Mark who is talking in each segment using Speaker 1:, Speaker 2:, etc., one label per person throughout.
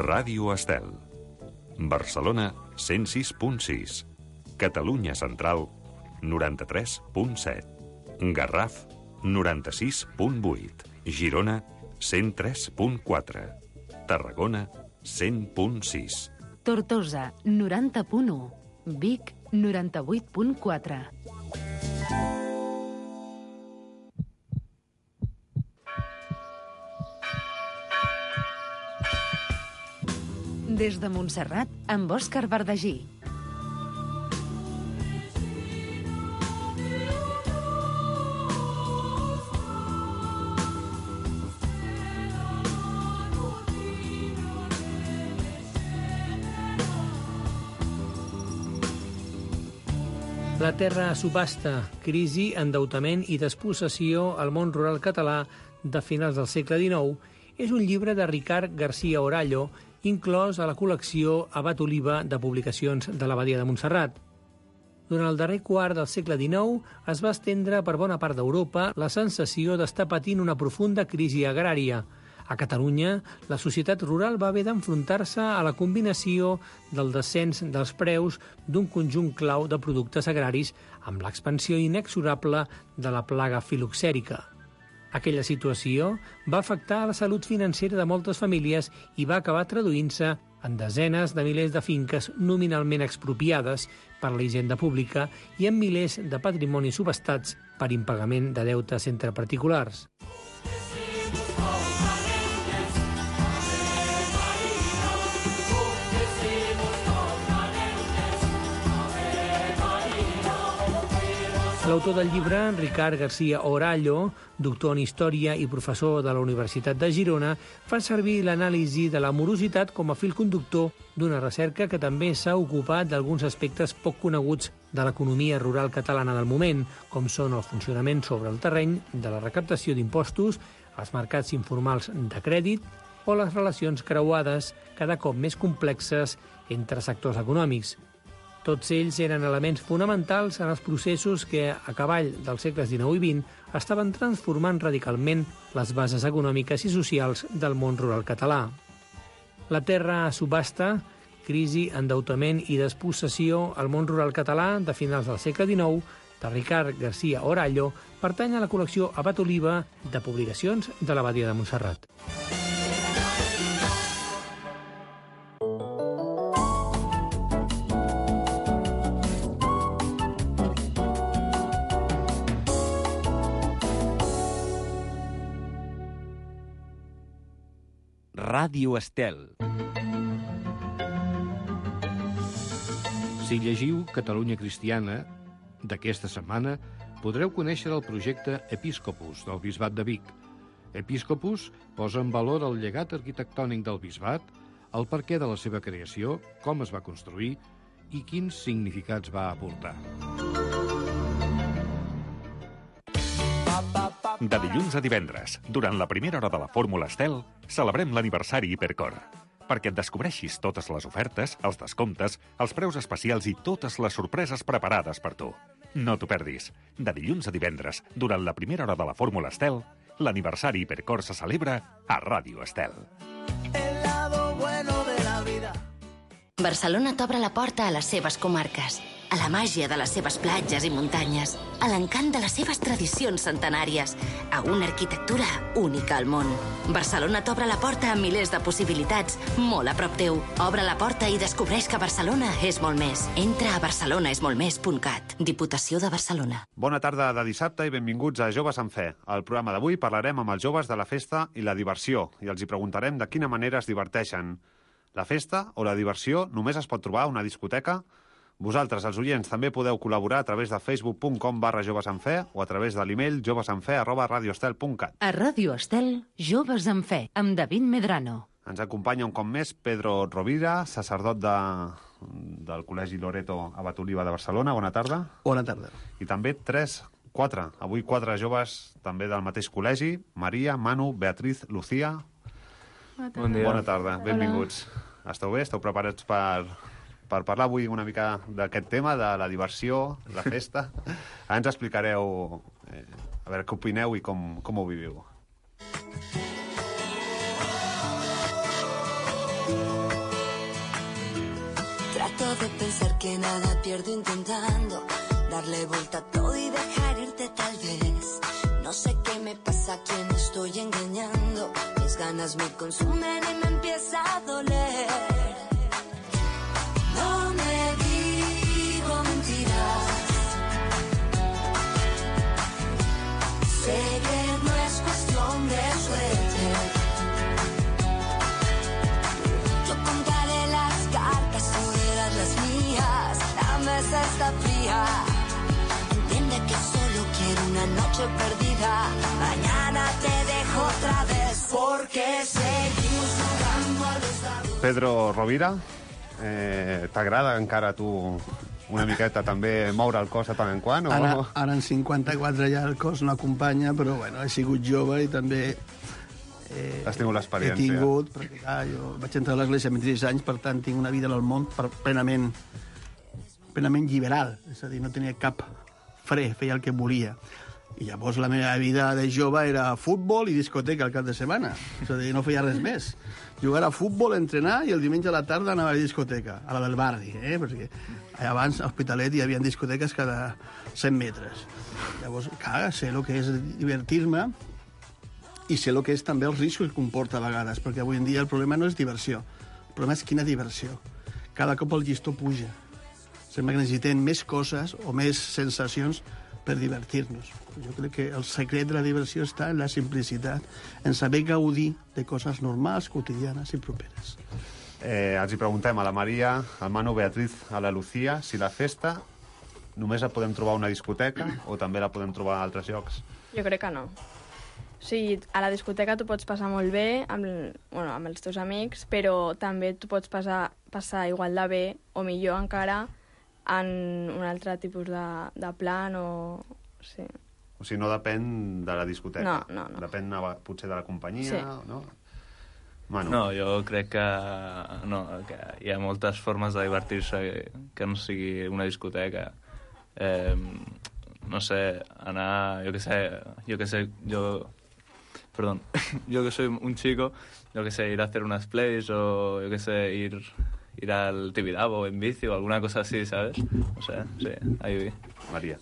Speaker 1: Ràdio Estel. Barcelona, 106.6. Catalunya Central, 93.7. Garraf, 96.8. Girona, 103.4. Tarragona, 100.6.
Speaker 2: Tortosa, 90.1. Vic, 98.4. Des de Montserrat, amb Òscar Verdagí.
Speaker 3: La terra a subhasta, crisi, endeutament i despossessió al món rural català de finals del segle XIX és un llibre de Ricard García Orallo, inclòs a la col·lecció Abat Oliva de publicacions de l'Abadia de Montserrat. Durant el darrer quart del segle XIX es va estendre per bona part d'Europa la sensació d'estar patint una profunda crisi agrària. A Catalunya, la societat rural va haver d'enfrontar-se a la combinació del descens dels preus d'un conjunt clau de productes agraris amb l'expansió inexorable de la plaga filoxèrica. Aquella situació va afectar la salut financera de moltes famílies i va acabar traduint-se en desenes de milers de finques nominalment expropiades per la hisenda pública i en milers de patrimonis subhastats per impagament de deutes entre particulars. L'autor del llibre, Ricard García Orallo, doctor en Història i professor de la Universitat de Girona, fa servir l'anàlisi de la morositat com a fil conductor d'una recerca que també s'ha ocupat d'alguns aspectes poc coneguts de l'economia rural catalana del moment, com són el funcionament sobre el terreny de la recaptació d'impostos, els mercats informals de crèdit o les relacions creuades, cada cop més complexes, entre sectors econòmics. Tots ells eren elements fonamentals en els processos que, a cavall dels segles XIX i XX, estaven transformant radicalment les bases econòmiques i socials del món rural català. La terra a subhasta, crisi, endeutament i despossessió al món rural català de finals del segle XIX, de Ricard García Orallo, pertany a la col·lecció Abat Oliva de publicacions de l'Abadia de Montserrat.
Speaker 4: Ràdio Estel. Si llegiu Catalunya Cristiana d'aquesta setmana, podreu conèixer el projecte Episcopus del Bisbat de Vic. Episcopus posa en valor el llegat arquitectònic del bisbat, el perquè de la seva creació, com es va construir i quins significats va aportar.
Speaker 1: De dilluns a divendres, durant la primera hora de la Fórmula Estel, celebrem l'aniversari Hipercor, perquè et descobreixis totes les ofertes, els descomptes, els preus especials i totes les sorpreses preparades per tu. No t'ho perdis. De dilluns a divendres, durant la primera hora de la Fórmula Estel, l'aniversari Hipercor se celebra a Ràdio Estel.
Speaker 5: El lado bueno de la vida.
Speaker 6: Barcelona t'obre la porta a les seves comarques, a la màgia de les seves platges i muntanyes, a l'encant de les seves tradicions centenàries, a una arquitectura única al món. Barcelona t'obre la porta amb milers de possibilitats, molt a prop teu. Obre la porta i descobreix que Barcelona és molt més. Entra a barcelonaesmoltmés.cat. Diputació de Barcelona.
Speaker 7: Bona tarda de dissabte i benvinguts a Joves en Fe. Al programa d'avui parlarem amb els joves de la festa i la diversió i els hi preguntarem de quina manera es diverteixen. La festa o la diversió només es pot trobar a una discoteca? Vosaltres, els oients, també podeu col·laborar a través de facebook.com/jovesenfe o a través de l'email jovesenfe@radioestel.cat.
Speaker 2: A Ràdio Estel, Joves en Fe, amb David Medrano.
Speaker 7: Ens acompanya un cop més Pedro Rovira, sacerdot del Col·legi Loreto Abat Oliva de Barcelona. Bona tarda.
Speaker 8: Bona tarda.
Speaker 7: I també avui quatre joves també del mateix col·legi, Maria, Manu, Beatriz, Lucía.
Speaker 8: Bon dia.
Speaker 7: Bona tarda, benvinguts. Esteu bé? Esteu preparats per parlar avui una mica d'aquest tema, de la diversió, la festa? Ara ens explicareu a veure què opineu i com ho viviu.
Speaker 9: que nada pierdo intentando darle vuelta a todo y dejar irte tal vez. No sé qué me pasa, a quién estoy engañando. Mis ganas me consumen y me empieza a doler. No me digo mentiras. Sé que no es cuestión de suerte. Yo contaré las cartas, tú verás las mías. La mesa está fría. Entiende que solo quiero una noche perdida. Mañana te dejo otra vez. Porque seguimos jugando a los dados.
Speaker 7: Pedro Rovira, t'agrada encara a tu una miqueta també moure el cos de tant en quant?
Speaker 10: Ara en 54 ja el cos no acompanya, però bueno, he sigut jove i també
Speaker 7: has tingut l'experiència.
Speaker 10: He tingut, perquè jo vaig entrar a l'església amb 16 anys, per tant tinc una vida en el món plenament liberal, és a dir, no tenia cap fre, feia el que volia. I llavors la meva vida de jove era futbol i discoteca al cap de setmana. És a dir, no feia res més. Jugar a futbol, entrenar, i el diumenge a la tarda anava a la discoteca, a la del barri, perquè abans a Hospitalet hi havia discoteques cada 100 metres. Llavors, clar, sé el que és divertir-me i sé el que és també els riscos que comporta a vegades, perquè avui en dia el problema no és diversió, el problema és quina diversió. Cada cop el llistó puja. Sembla que necessitem més coses o més sensacions per divertir-nos. Jo crec que el secret de la diversió està en la simplicitat, en saber gaudir de coses normals, quotidianes i properes.
Speaker 7: Els hi preguntem a la Maria, al Manu, Beatriz, a la Lucía, si la festa només la podem trobar a una discoteca o també la podem trobar a altres llocs?
Speaker 11: Jo crec que no. O sigui, a la discoteca tu pots passar molt bé amb els teus amics, però també tu pots passar igual de bé o millor encara en un altre tipus de plan o... Sí.
Speaker 7: O sigui, no depèn de la discoteca.
Speaker 11: No.
Speaker 7: Depèn potser de la companyia,
Speaker 11: sí.
Speaker 7: No? Manu.
Speaker 8: No, jo crec que hi ha moltes formes de divertir-se que no sigui una discoteca. No sé, anar, yo que soy un chico, ir a hacer unas plays o ir al Tibidabo en bici o alguna cosa así, ¿sabes? No sé, sí, ahí.
Speaker 7: Maria.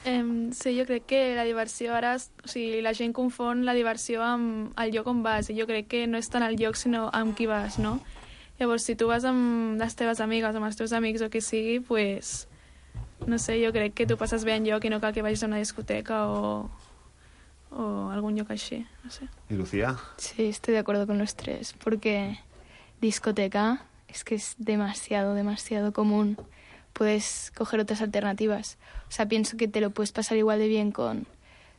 Speaker 12: Sí, jo crec que la diversió ara... O sigui, la gent confon la diversió amb el lloc on vas, i jo crec que no és tant el lloc, sinó amb qui vas, no? Llavors, si tu vas amb les teves amigues, amb els teus amics o qui sigui, pues... No sé, jo crec que tu passes bé en lloc i no cal que vagis a una discoteca o algún lloc així, no sé.
Speaker 7: ¿Y Lucía?
Speaker 13: Sí, estoy de acuerdo con los tres, porque discoteca es que es demasiado común. Puedes coger otras alternativas. O sea, pienso que te lo puedes pasar igual de bien con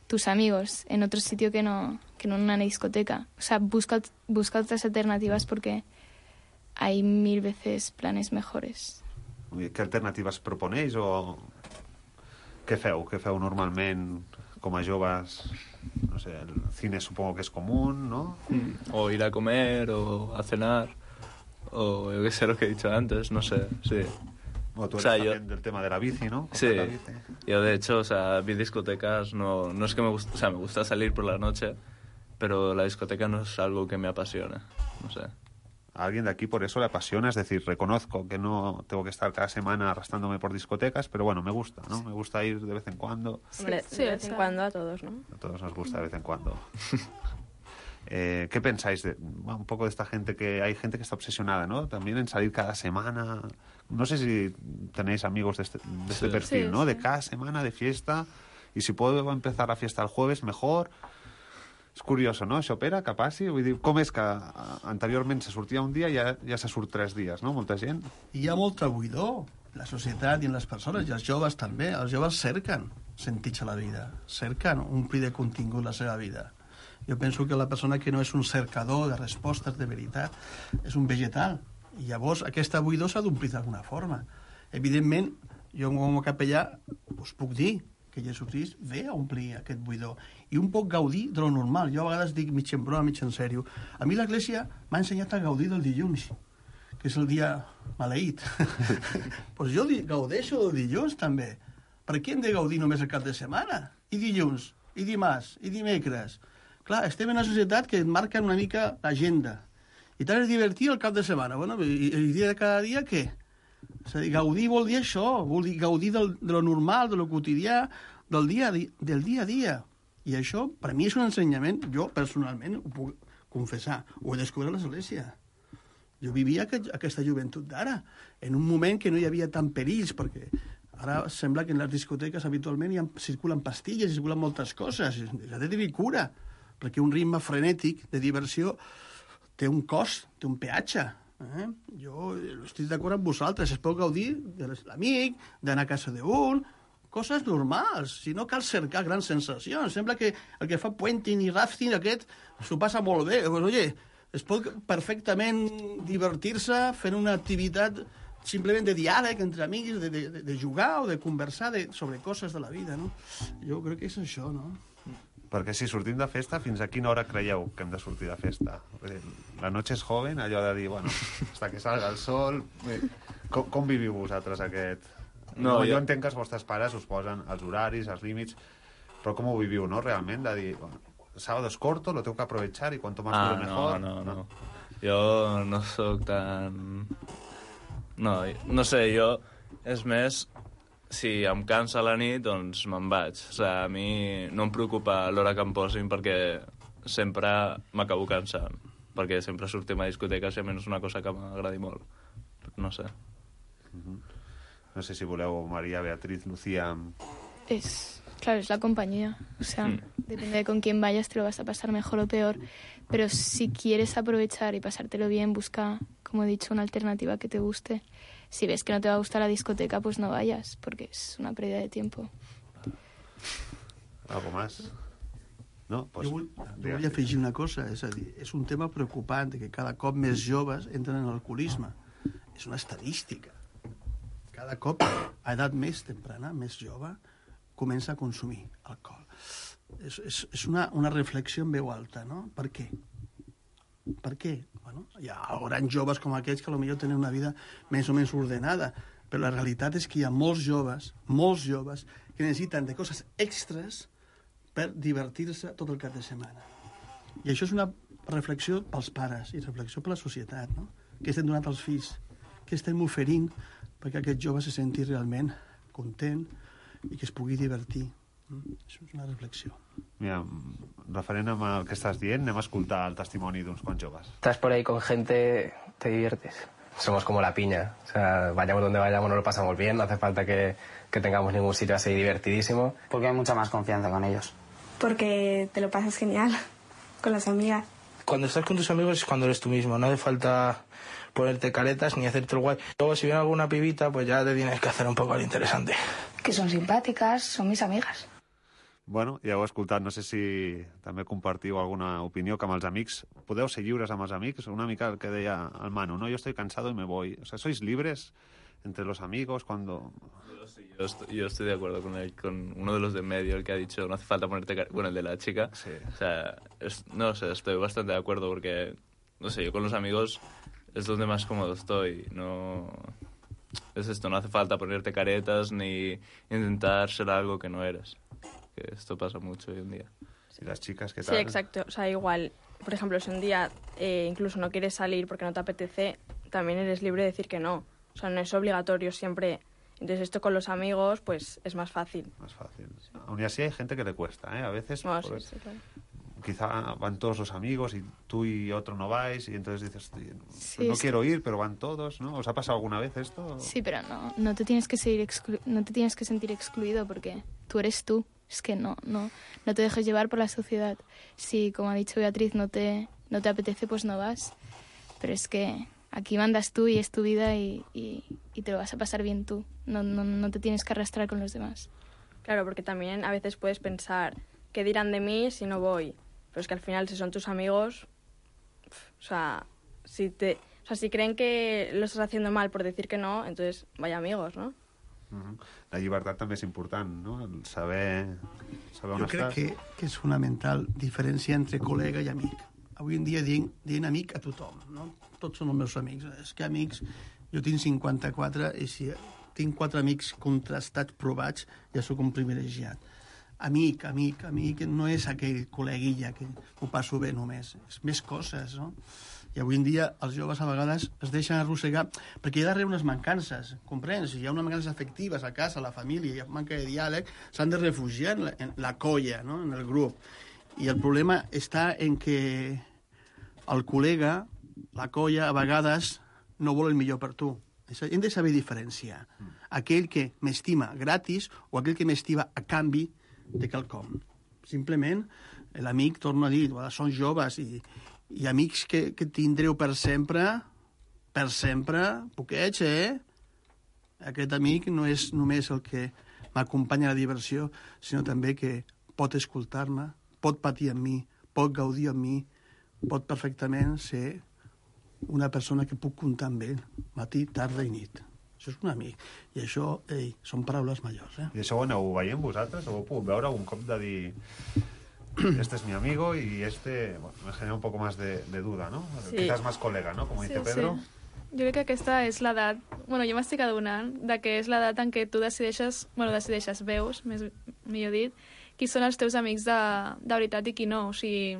Speaker 13: tus amigos en otro sitio que no en una discoteca. O sea, busca otras alternativas porque hay 1000 veces planes mejores.
Speaker 7: ¿Qué alternativas proponéis o què feu? Què feu normalment com a joves? No sé, el cine supongo que es común, ¿no?
Speaker 8: O ir a comer o a cenar o yo qué sé, lo que he dicho antes, no sé, sí.
Speaker 7: Bueno, tú eres también del tema de la bici, ¿no?
Speaker 8: Sí, yo de hecho, o sea, vi discotecas, no es que me gusta, o sea, me gusta salir por la noche, pero la discoteca no es algo que me apasiona, no sé.
Speaker 7: A alguien de aquí por eso le apasiona, es decir, reconozco que no tengo que estar cada semana arrastrándome por discotecas, pero bueno, me gusta, ¿no? Me gusta ir de vez en cuando.
Speaker 11: Hombre, sí, de vez en cuando a todos, ¿no?
Speaker 7: A todos nos gusta de vez en cuando. ¿Qué pensáis un poco de esta gente que hay gente que está obsesionada, ¿no? También en salir cada semana. No sé si tenéis amigos de este perfil, sí, ¿no? Sí. De cada semana de fiesta, y si puedo empezar la fiesta el jueves, mejor. És curiós, no? Això, Pere, que passi? Vull dir, com és que anteriorment se sortia un dia i ja se surt 3 dies, no? Molta gent.
Speaker 10: Hi ha molta buidor, la societat i en les persones, i els joves també. Els joves cerquen sentits a la vida, cerquen omplir de contingut la seva vida. Jo penso que la persona que no és un cercador de respostes de veritat és un vegetal, i llavors aquesta buidor s'ha d'omplir d'alguna forma. Evidentment, jo com a capellà us puc dir que Jesucrist ve a omplir aquest buidor i un poc gaudir de lo normal. Jo a vegades dic mig en broma, mig en sèrio. A mi l'Església m'ha ensenyat a gaudir del dilluns, que és el dia maleït. Pues jo gaudeixo del dilluns també. Per què hem de gaudir només el cap de setmana? I dilluns, i dimarts, i dimecres. Clar, estem en una societat que et marca una mica l'agenda. I t'has de divertir el cap de setmana. Bueno, i el dia de cada dia, què? És a dir, gaudir vol dir això, vol dir gaudir de lo normal, de lo quotidià, del dia a dia. I això, per mi, és un ensenyament, jo personalment ho puc confessar, ho he descobert a l'església. Jo vivia aquesta joventut d'ara, en un moment que no hi havia tant perills, perquè ara sembla que en les discoteques habitualment circulen pastilles, circulen moltes coses, s'ha de tenir cura, perquè un ritme frenètic de diversió té un cost, té un peatge. Jo estic d'acord amb vosaltres, es pot gaudir de l'amic, d'anar a casa d'un, coses normals, si no cal cercar grans sensacions. Sembla que el que fa puenting i rafting aquest s'ho passa molt bé. Pues, oye, es pot perfectament divertir-se fent una activitat simplement de diàleg entre amics, de jugar o de conversar sobre coses de la vida, no? Jo crec que és això, no?
Speaker 7: Perquè si sortim de festa, fins a quina hora creieu que hem de sortir de festa? La noche és joven, allò de dir, bueno, hasta que salga el sol... Com viviu vosaltres aquest...? No, jo entenc que els vostres pares us posen els horaris, els límits, però com ho viviu, no, realment? De dir, bueno, sábado es corto, lo tengo que aprovechar y cuanto más dure mejor.
Speaker 8: No. Jo no sóc tan... No sé, jo... És més, si em cansa la nit, doncs me'n vaig. O sigui, a mi no em preocupa l'hora que em posin perquè sempre m'acabo cansant. Perquè sempre sortim a discoteques i a mi no és una cosa que m'agradi molt. No sé.
Speaker 7: No sé si voleu, María, Beatriz, Lucía...
Speaker 13: Claro, es la compañía. O sea, depende de con quién vayas, te lo vas a pasar mejor o peor. Pero si quieres aprovechar y pasártelo bien, busca, como he dicho, una alternativa que te guste. Si ves que no te va a gustar la discoteca, pues no vayas, porque es una pérdida de tiempo.
Speaker 7: ¿Algo más? No? Pues,
Speaker 10: jo vull afegir una cosa, és a dir, és un tema preocupant que cada cop més joves entren en l'alcoholisme. És una estadística. Cada cop, a edat més temprana, més jove, comença a consumir alcohol. És una reflexió en veu alta, no? Per què? Per què? Bueno, hi ha grans joves com aquests que potser tenen una vida més o menys ordenada, però la realitat és que hi ha molts joves, que necessiten de coses extres per divertir-se tot el cap de setmana. I això és una reflexió pels pares i reflexió per la societat, no? Què estem donant als fills? Què estem oferint perquè aquest jove se senti realment content i que es pugui divertir? Això és una reflexió.
Speaker 7: Mira, referent amb el que estàs dient, anem a escoltar el testimoni d'uns quants joves.
Speaker 14: Estás por ahí con gente, te diviertes. Somos como la piña. O sea, vayamos donde vayamos, nos lo pasamos bien. No hace falta que tengamos ningún sitio así divertidísimo.
Speaker 15: Porque hay mucha más confianza con ellos.
Speaker 16: Porque te lo pasas genial con las amigas.
Speaker 17: Cuando estás con tus amigos es cuando eres tú mismo. No hace falta ponerte caretas ni hacerte el guay. Luego, si viene alguna pibita, pues ya te tienes que hacer un poco al interesante.
Speaker 16: Que son simpáticas, son mis amigas.
Speaker 7: Bueno, ja ho he escoltat, no sé si també compartiu alguna opinió que amb els amics podeu ser lliures amb els amics, una mica el que deia el Manu, ¿no? Yo estoy cansado y me voy. O sea, ¿sois libres entre los amigos cuando...?
Speaker 8: Yo estoy de acuerdo con uno de los de en medio, el que ha dicho no hace falta ponerte... Bueno, el de la chica. Sí. O sea, no sé, estoy bastante de acuerdo porque, no sé, yo con los amigos es donde más cómodo estoy. No... Es esto, no hace falta ponerte caretas ni intentar ser algo que no eres. Que esto pasa mucho hoy en día.
Speaker 7: ¿Y las chicas qué tal?
Speaker 11: Sí, exacto. O sea, igual, por ejemplo, si un día incluso no quieres salir porque no te apetece, también eres libre de decir que no. O sea, no es obligatorio siempre. Entonces esto con los amigos, pues es más fácil.
Speaker 7: Más fácil. Aún así hay gente que le cuesta, ¿eh? A veces...
Speaker 11: No, sí, claro.
Speaker 7: Quizá van todos los amigos y tú y otro no vais y entonces dices,
Speaker 13: Sí,
Speaker 7: no quiero ir, pero van todos, ¿no? ¿Os ha pasado alguna vez esto?
Speaker 13: Sí, pero no te tienes que sentir excluido porque tú eres tú. Es que no te dejes llevar por la sociedad. Si, como ha dicho Beatriz, no te apetece, pues no vas. Pero es que aquí mandas tú y es tu vida y te lo vas a pasar bien tú. No te tienes que arrastrar con los demás.
Speaker 11: Claro, porque también a veces puedes pensar, ¿qué dirán de mí si no voy? Pero es que al final, si son tus amigos, o sea, si creen que lo estás haciendo mal por decir que no, entonces vaya amigos, ¿no?
Speaker 7: La llibertat també és important, no? El saber on estàs.
Speaker 10: Jo crec que és fonamental diferenciar entre col·lega i amic. Avui en dia dient amic a tothom, no? Tots són els meus amics. És que amics, jo tinc 54 i si tinc 4 amics contrastats, provats, ja sóc un privilegiat. Amic no és aquell col·leguilla que ho passo bé només. És més coses, no? I avui en dia els joves a vegades es deixen arrossegar perquè hi ha darrere unes mancances, comprens? Si hi ha unes mancances afectives a casa, a la família, hi ha manca de diàleg, s'han de refugiar en la colla, no? En el grup. I el problema està en que el col·lega, la colla, a vegades no vol el millor per tu. Hem de saber diferenciar aquell que m'estima gratis o aquell que m'estima a canvi de quelcom. Simplement, l'amic, torno a dir, són joves i amics que tindreu per sempre, poquets, Aquest amic no és només el que m'acompanya a la diversió, sinó també que pot escoltar-me, pot patir amb mi, pot gaudir amb mi, pot perfectament ser una persona que puc comptar amb ell, matí, tarda i nit. Això és un amic. I això, són paraules majors,
Speaker 7: I això ho aneu veient vosaltres? O ho puc veure un cop de dir... Este es mi amigo y bueno, me genera un poco más de duda, ¿no? Sí. Quizás más colega, ¿no? Como dice Pedro.
Speaker 12: Sí. Jo crec que aquesta és l'edat... Bueno, jo m'estic adonant de que és l'edat en què tu decideixes, veus, millor dit, qui són els teus amics de veritat i qui no. O sigui,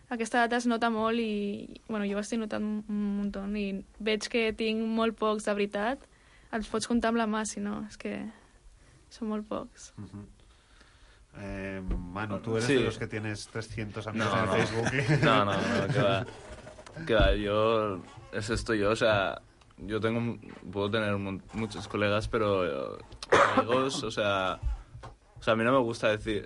Speaker 12: aquesta edat es nota molt i... Bueno, jo ho estic notant un muntó i veig que tinc molt pocs de veritat. Els pots comptar amb la mà, si no, és que són molt pocs.
Speaker 7: Manu, tú eres de los que tienes 300 amigos en Facebook.
Speaker 8: No, que va, yo es esto yo, o sea, puedo tener muchos colegas, pero amigos, o sea, a mí no me gusta decir,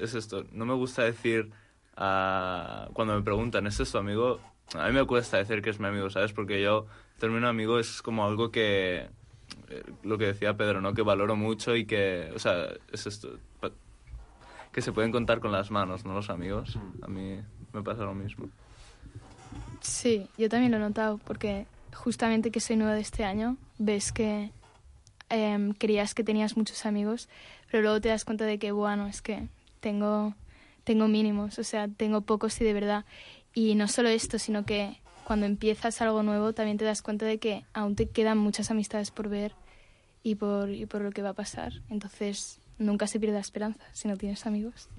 Speaker 8: no me gusta decir cuando me preguntan, ¿es tu amigo? A mí me cuesta decir que es mi amigo, ¿sabes? Porque yo, el término amigo es como algo que, lo que decía Pedro, ¿no? Que valoro mucho y que, o sea, es esto... que se pueden contar con las manos, ¿no? Los amigos. A mí me pasa lo mismo.
Speaker 13: Sí, yo también lo he notado, porque justamente que soy nueva de este año, ves que creías que tenías muchos amigos, pero luego te das cuenta de que, bueno, es que tengo mínimos, o sea, tengo pocos y de verdad. Y no solo esto, sino que cuando empiezas algo nuevo también te das cuenta de que aún te quedan muchas amistades por ver y por lo que va a pasar. Entonces... Nunca se pierde la esperanza. Si no tienes amigos,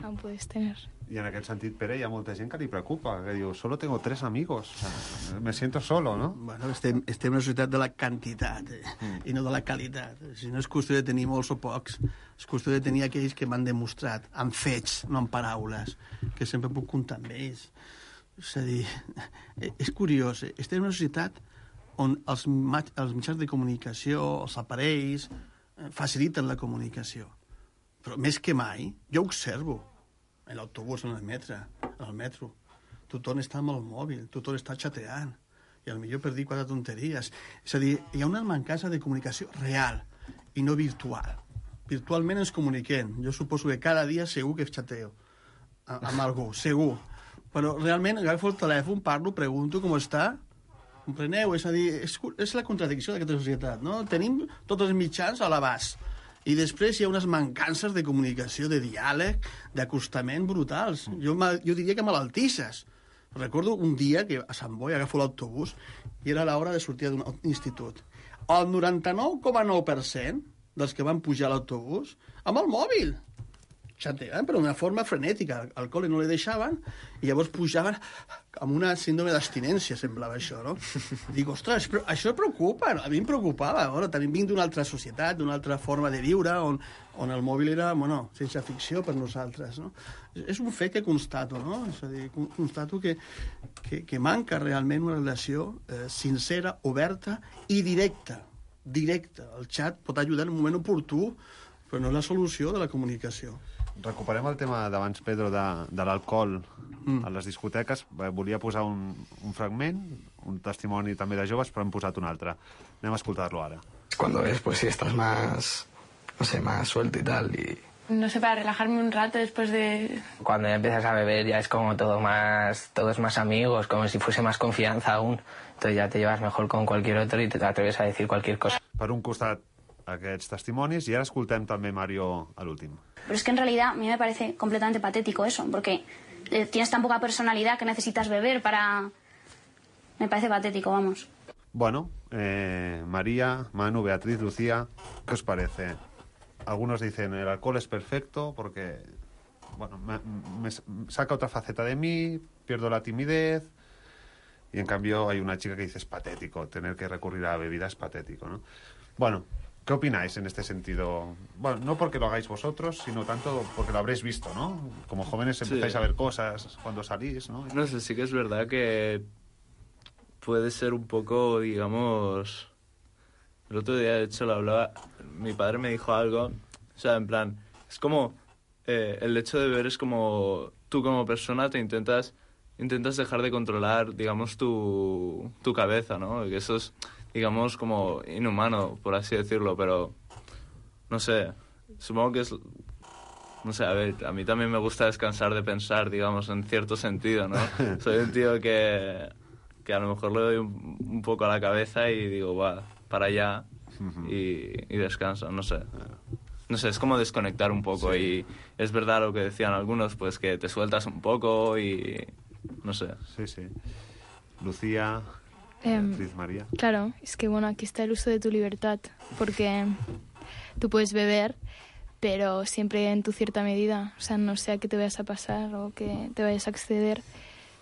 Speaker 13: aún puedes tener.
Speaker 7: I en aquest sentit, Pere, hi ha molta gent que li preocupa, que diu, solo tengo 3 amigos, o sea, me siento solo, no?
Speaker 10: Bueno, estem en una societat de la quantitat i no de la qualitat. Si no és qüestió de tenir molts o pocs, és qüestió de tenir aquells que m'han demostrat, amb fets, no amb paraules, que sempre puc comptar amb ells. És a dir, és curiós, estem en una societat on els mitjans de comunicació, els aparells, faciliten la comunicació. Però més que mai, jo observo en l'autobús, en el metro, tothom està amb el mòbil, tothom està xateant, i potser per dir 4 tonteries. És a dir, hi ha una mancança de comunicació real i no virtual. Virtualment ens comuniquem. Jo suposo que cada dia segur que xateo amb algú, segur. Però realment agafo el telèfon, parlo, pregunto com està. Compreneu? És a dir, és la contradicció d'aquesta societat, no? Tenim tots els mitjans a l'abast i després hi ha unes mancances de comunicació, de diàleg, d'acostament brutals. Jo diria que malaltisses. Recordo un dia que a Sant Boi agafo l'autobús i era l'hora de sortir d'un institut. El 99,9% dels que van pujar a l'autobús amb el mòbil. Xateaven, però d'una forma frenètica. Al col·le no li deixaven i llavors pujaven amb una síndrome d'abstinència, semblava això, no? Dic, ostres, però això preocupa. A mi em preocupava. Bueno, també vinc d'una altra societat, d'una altra forma de viure, on el mòbil era, bueno, sense ficció per nosaltres, no? És un fet que constato, no? És a dir, constato que manca realment una relació sincera, oberta i directa. Directa. El xat pot ajudar en un moment oportú, però no és la solució de la comunicació.
Speaker 7: Recuperem el tema d'abans, Pedro, de l'alcohol a les discoteques. Volia posar un fragment, un testimoni també de joves, però hem posat un altre. Anem a escoltar-lo ara.
Speaker 18: Cuando ves, pues si estás más, no sé, más suelto y tal, y...
Speaker 16: No sé, para relajarme un rato después de...
Speaker 14: Cuando ya empiezas a beber ya es como todos más amigos, como si fuese más confianza aún. Entonces ya te llevas mejor con cualquier otro y te atreves a decir cualquier cosa.
Speaker 7: Per un costat, aquests testimonis, i ara escoltem també Mario a l'últim.
Speaker 19: Pero es que en realidad a mí me parece completamente patético eso, porque tienes tan poca personalidad que necesitas beber para... Me parece patético, vamos.
Speaker 7: Bueno, María, Manu, Beatriz, Lucía, ¿qué os parece? Algunos dicen el alcohol es perfecto porque, bueno, me saca otra faceta de mí, pierdo la timidez, Y en cambio hay una chica que dice es patético, tener que recurrir a la bebida es patético, ¿no? Bueno, ¿qué opináis en este sentido? Bueno, no porque lo hagáis vosotros, sino tanto porque lo habréis visto, ¿no? Como jóvenes empezáis a ver cosas cuando salís, ¿no?
Speaker 8: No sé, sí que es verdad que puede ser un poco, digamos... El otro día, de hecho, lo hablaba... Mi padre me dijo algo, o sea, en plan, es como... el hecho de beber es como... Tú como persona te intentas dejar de controlar, digamos, tu cabeza, ¿no? Que eso es, digamos, como inhumano, por así decirlo, pero... No sé, supongo que es... No sé, a ver, a mí también me gusta descansar de pensar, digamos, en cierto sentido, ¿no? Soy un tío que a lo mejor le doy un poco a la cabeza y digo, va, para allá y descanso, no sé. No sé, es como desconectar un poco y es verdad lo que decían algunos, pues que te sueltas un poco y... no sé.
Speaker 7: Sí. Lucía, Beatriz, María.
Speaker 13: Claro, es que bueno, aquí está el uso de tu libertad, porque tú puedes beber, pero siempre en tu cierta medida, o sea, no sea que te vayas a pasar o que te vayas a exceder.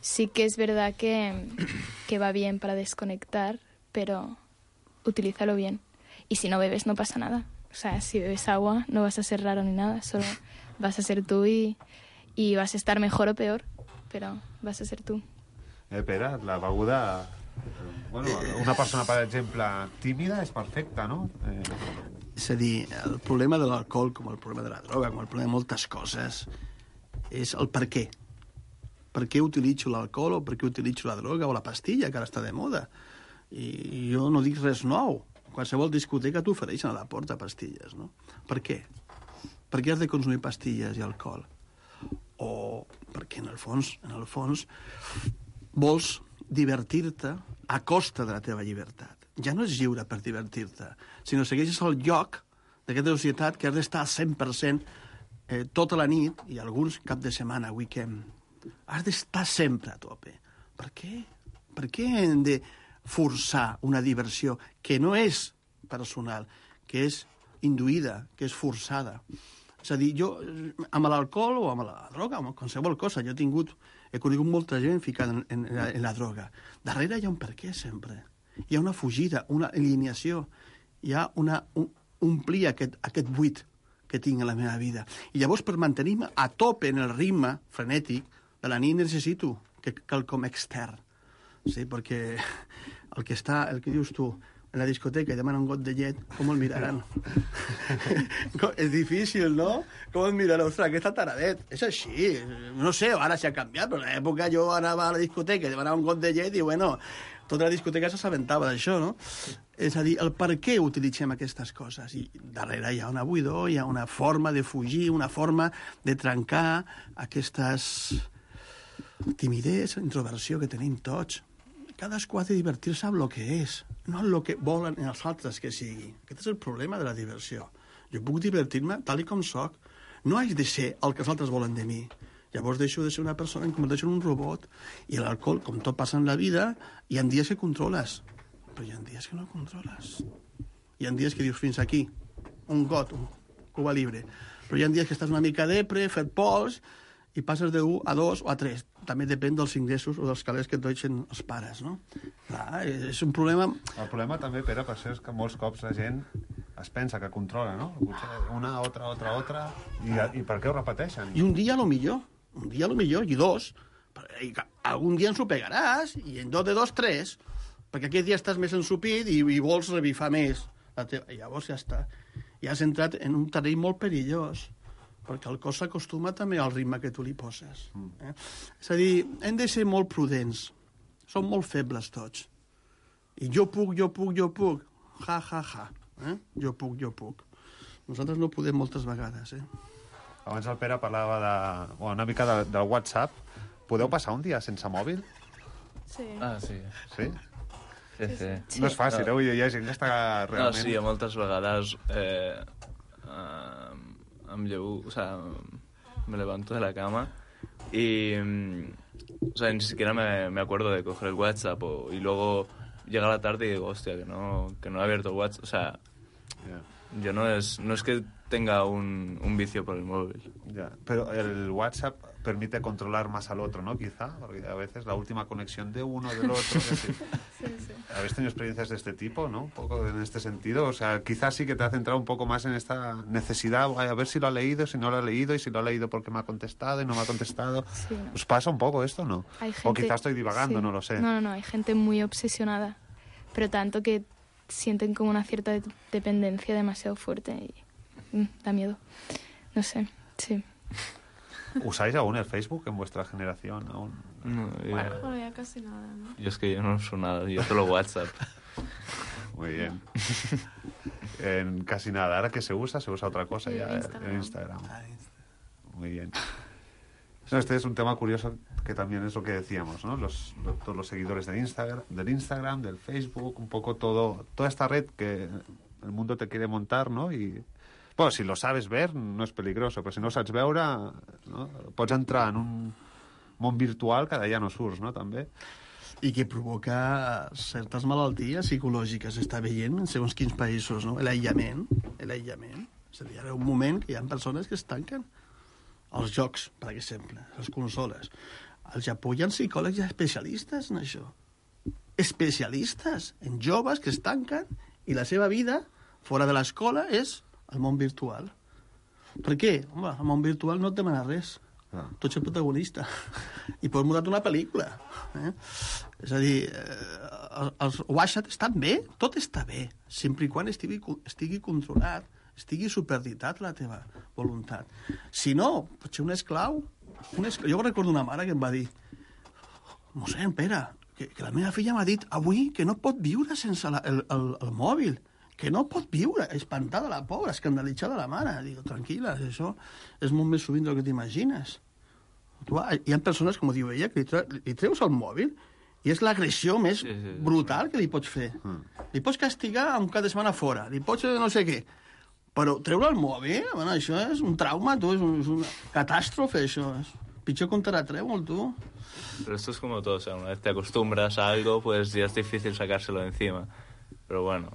Speaker 13: Sí que es verdad que va bien para desconectar, pero utilízalo bien. Y si no bebes no pasa nada. O sea, si bebes agua no vas a ser raro ni nada, solo vas a ser tú y vas a estar mejor o peor, però vas a ser tu.
Speaker 7: Pere, la beguda... Bueno, una persona, per exemple, tímida és perfecta, no?
Speaker 10: És a dir, el problema de l'alcohol, com el problema de la droga, com el problema de moltes coses, és el per què. Per què utilitzo l'alcohol o per què utilitzo la droga o la pastilla, que ara està de moda. I jo no dic res nou. Qualsevol discoteca t'ofereixen a la porta pastilles, no? Per què? Per què has de consumir pastilles i alcohol? O perquè en el fons vols divertir-te a costa de la teva llibertat. Ja no és lliure per divertir-te, sinó segueixes el lloc d'aquesta societat que has d'estar al 100% tota la nit, i alguns cap de setmana, weekend. Has d'estar sempre a tope. Per què? Per què hem de forçar una diversió que no és personal, que és induïda, que és forçada? És a dir, jo, amb l'alcohol o amb la droga, amb qualsevol cosa, he conegut molta gent ficada en la droga. Darrere hi ha un per què, sempre. Hi ha una fugida, una alineació, hi ha omplir aquest buit que tinc a la meva vida. I llavors, per mantenir-me a tope en el ritme frenètic de la nit, necessito quelcom extern. Sí, perquè el que dius tu, en la discoteca i demana un got de llet, com el miraran? És difícil, no? Com el miraran? Ostres, aquest taradet. És així. No sé, ara s'ha canviat, però en l'època jo anava a la discoteca i demanava un got de llet i, bueno, tota la discoteca s'assabentava d'això, no? És a dir, el per què utilitzem aquestes coses. I darrere hi ha una buidor, hi ha una forma de fugir, una forma de trencar aquestes timidesa, introversió que tenim tots. Cadascú ha de divertir-se amb el que és, no amb el que volen els altres que sigui. Aquest és el problema de la diversió. Jo puc divertir-me tal com soc. No haig de ser el que els altres volen de mi. Llavors deixo de ser una persona i em converteixo en un robot. I l'alcohol, com tot passa en la vida, hi ha dies que controles, però hi ha dies que no controles. Hi ha dies que dius fins aquí, un got, un Cuba Libre. Però hi ha dies que estàs una mica depre, fet pols, i passes de 1 a 2 o a 3. També depèn dels ingressos o dels calés que et deixen els pares, no? Clar, és un problema...
Speaker 7: El problema també, Pere, per això és que molts cops la gent es pensa que controla, no? Una, otra, i per què ho repeteixen?
Speaker 10: I un dia, a lo millor, i dos, i algun dia ens ho pegaràs, i en 2 de 2, 3, perquè aquest dia estàs més ensupit i vols revifar més. I llavors ja està. Ja has entrat en un terreny molt perillós, perquè el cos s'acostuma també al ritme que tu li poses. És a dir, hem de ser molt prudents. Som molt febles tots. I jo puc. Ja. Jo puc. Nosaltres no podem moltes vegades.
Speaker 7: Abans el Pere parlava una mica del WhatsApp. Podeu passar un dia sense mòbil?
Speaker 11: Sí.
Speaker 8: Ah, sí.
Speaker 7: Sí?
Speaker 8: Sí.
Speaker 7: No és fàcil, Hi ha gent que està realment...
Speaker 8: No, sí, moltes vegades... me levanto de la cama y ni siquiera me acuerdo de coger el WhatsApp y luego llega la tarde y digo, hostia, que no he abierto el WhatsApp. O sea, no es que tenga un vicio por el móvil.
Speaker 7: Ya. Pero el WhatsApp, permite controlar más al otro, ¿no? Quizá, porque a veces la última conexión de uno, del otro... ¿Habéis tenido experiencias de este tipo, no? Un poco en este sentido. O sea, quizás sí que te ha centrado un poco más en esta necesidad, a ver si lo ha leído, si no lo ha leído, y si lo ha leído porque me ha contestado y no me ha contestado. Sí, no. ¿Os pasa un poco esto, no?
Speaker 13: Hay gente...
Speaker 7: O quizás estoy divagando, no lo sé.
Speaker 13: No, hay gente muy obsesionada, pero tanto que sienten como una cierta dependencia demasiado fuerte y da miedo. No sé, sí.
Speaker 7: ¿Usáis aún el Facebook en vuestra generación? ¿Aún?
Speaker 8: No,
Speaker 12: Bueno, ya casi nada, ¿no?
Speaker 8: Yo es que yo no uso nada, yo solo WhatsApp.
Speaker 7: Muy bien. En casi nada. Ahora que se usa otra cosa ya en Instagram. Muy bien. No, este es un tema curioso que también es lo que decíamos, ¿no? Todos los seguidores del Instagram, del Facebook, un poco toda esta red que el mundo te quiere montar, ¿no? Y bueno, si lo sabes ver, no és peligroso, però si no ho saps veure, no? Pots entrar en un món virtual que d'allà no surts, no? També.
Speaker 10: I que provoca certes malalties psicològiques, està veient en segons quins països, no? L'aïllament. És a dir, ara un moment que hi ha persones que es tanquen. Els jocs, per exemple, les consoles. Al Japó hi ha psicòlegs especialistes en això. Especialistes en joves que es tanquen i la seva vida, fora de l'escola, és el món virtual. Per què? Home, el món virtual no et demana res. Tu ets el protagonista. I pots mudar una pel·lícula. És a dir, els WhatsApp estan bé, tot està bé, sempre i quan estigui controlat, estigui superditat la teva voluntat. Si no, potser un esclau. Jo recordo una mare que em va dir: mossèn, Pere, que la meva filla m'ha dit avui que no pot viure sense el mòbil, que no pot viure, espantada la pobra, escandalitzada la mare. Digo, tranquil·la, això és molt més sovint del que t'imagines. Hi ha persones, com diu ella, que li treus el mòbil i és l'agressió més brutal que li pots fer. Li pots castigar un cap de setmana fora, li pots no sé què, però treure el mòbil, bueno, això és un trauma, tu, és una catàstrofe, això. Pitjor que un terratrèmol, tu.
Speaker 8: Pero esto es como todo, o sea, una vez te acostumbras a algo, pues ya es difícil sacárselo de encima. Pero bueno,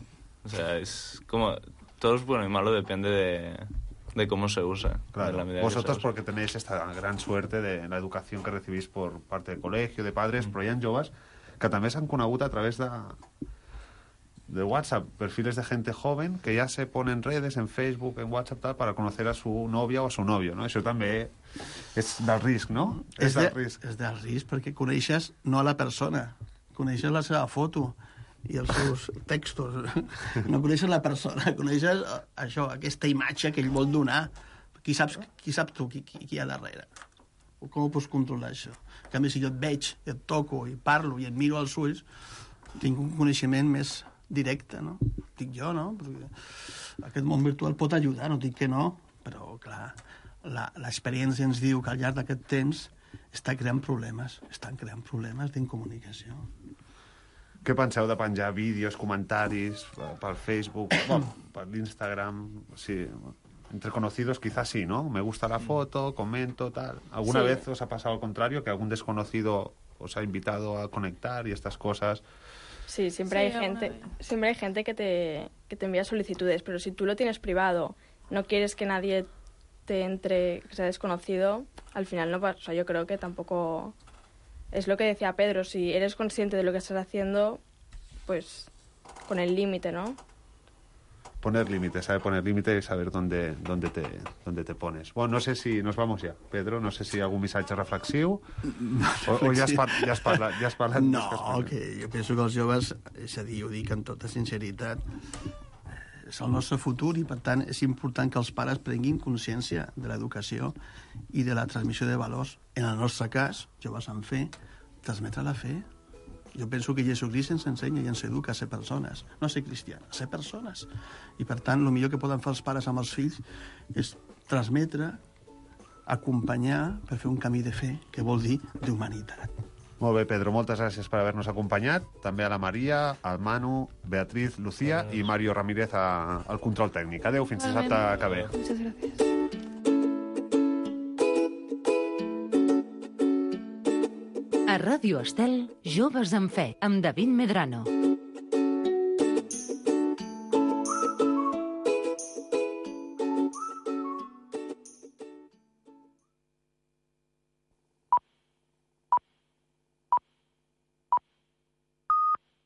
Speaker 8: o sea, es como... Todo es bueno y malo, depende de cómo se usa.
Speaker 7: Claro,
Speaker 8: de la
Speaker 7: vosotros porque tenéis esta gran suerte de la educación que recibís por parte del colegio, de padres, però hi ha joves que també s'han conegut a través de WhatsApp, perfiles de gente joven que ya se ponen redes en Facebook, en WhatsApp, tal, para conocer a su novia o a su novio, no? Això també és del risc, no?
Speaker 10: És del risc perquè coneixes no a la persona, coneixes la seva foto i els seus textos. No coneixes la persona, coneixes això, aquesta imatge que ell vol donar. Qui sap tu qui hi ha darrere? Com ho pots controlar, això? En canvi, si jo et veig, et toco i parlo i et miro als ulls, tinc un coneixement més directe, no? Dic jo, no? Perquè aquest món virtual pot ajudar, no dic que no, però, clar, l'experiència ens diu que al llarg d'aquest temps estan creant problemes d'incomunicació.
Speaker 7: Què penseu de penjar vídeos, comentaris pel Facebook, per l'Instagram? Sí, entre conocidos quizás sí, ¿no? Me gusta la foto, comento, tal. ¿Alguna vez os ha pasado al contrario, que algún desconocido os ha invitado a conectar y estas cosas?
Speaker 11: Sí, siempre hay gente que te envía solicitudes, pero si tú lo tienes privado, no quieres que nadie te entre, que sea desconocido, al final no pasa. O sea, yo creo que tampoco... Es lo que decía Pedro, si eres consciente de lo que estás haciendo, pues con el límite, ¿no?
Speaker 7: Poner límites, saber poner límite y saber dónde te pones. Bueno, no sé si nos vamos ja, Pedro, no sé si algun missatge reflexiu o ja has parlat.
Speaker 10: No, que jo penso que els joves, és a dir, ho dic amb tota sinceritat, és el nostre futur i, per tant, és important que els pares prenguin consciència de l'educació i de la transmissió de valors. En el nostre cas, joves amb fe, transmetre la fe. Jo penso que Jesucrist ens ensenya i ens educa a ser persones, no a ser cristians, a ser persones. I, per tant, el millor que poden fer els pares amb els fills és transmetre, acompanyar per fer un camí de fe, que vol dir d'humanitat.
Speaker 7: Molt bé, Pedro, moltes gràcies per haver-nos acompanyat. També a la Maria, al Manu, Beatriz, Lucía i Mario Ramírez al control tècnic. Adéu, fins dissabte que ve.
Speaker 13: Muchas gracias.
Speaker 2: A Ràdio Estel, Joves amb Fe, amb David Medrano.